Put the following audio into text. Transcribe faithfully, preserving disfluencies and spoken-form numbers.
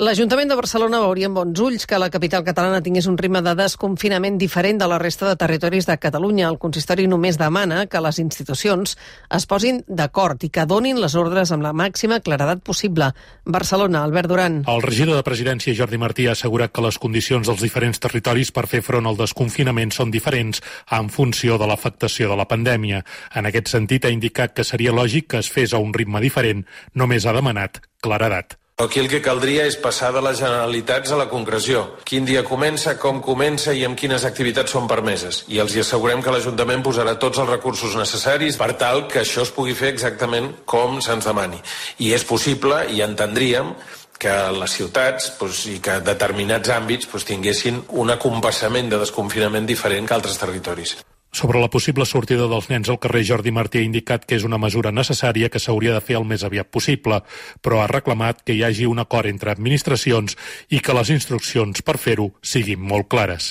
L'Ajuntament de Barcelona veuria amb bons ulls que la capital catalana tingués un ritme de desconfinament diferent de la resta de territoris de Catalunya. El consistori només demana que les institucions es posin d'acord i que donin les ordres amb la màxima claredat possible. Barcelona, Albert Duran. El regidor de Presidència, Jordi Martí, ha assegurat que les condicions dels diferents territoris per fer front al desconfinament són diferents en funció de l'afectació de la pandèmia. En aquest sentit, ha indicat que seria lògic que es fes a un ritme diferent. Només ha demanat claredat. Aquí el que caldria és passar de les generalitats a la concreció. Quin dia comença, com comença i amb quines activitats són permeses. I els hi assegurem que l'Ajuntament posarà tots els recursos necessaris per tal que això es pugui fer exactament com se'ns demani. I és possible, i entendríem, que les ciutats doncs, i que determinats àmbits doncs, tinguessin un acompassament de desconfinament diferent que altres territoris. Sobre la possible sortida dels nens al carrer, Jordi Martí ha indicat que és una mesura necessària que s'hauria de fer el més aviat possible, però ha reclamat que hi hagi un acord entre administracions i que les instruccions per fer-ho siguin molt clares.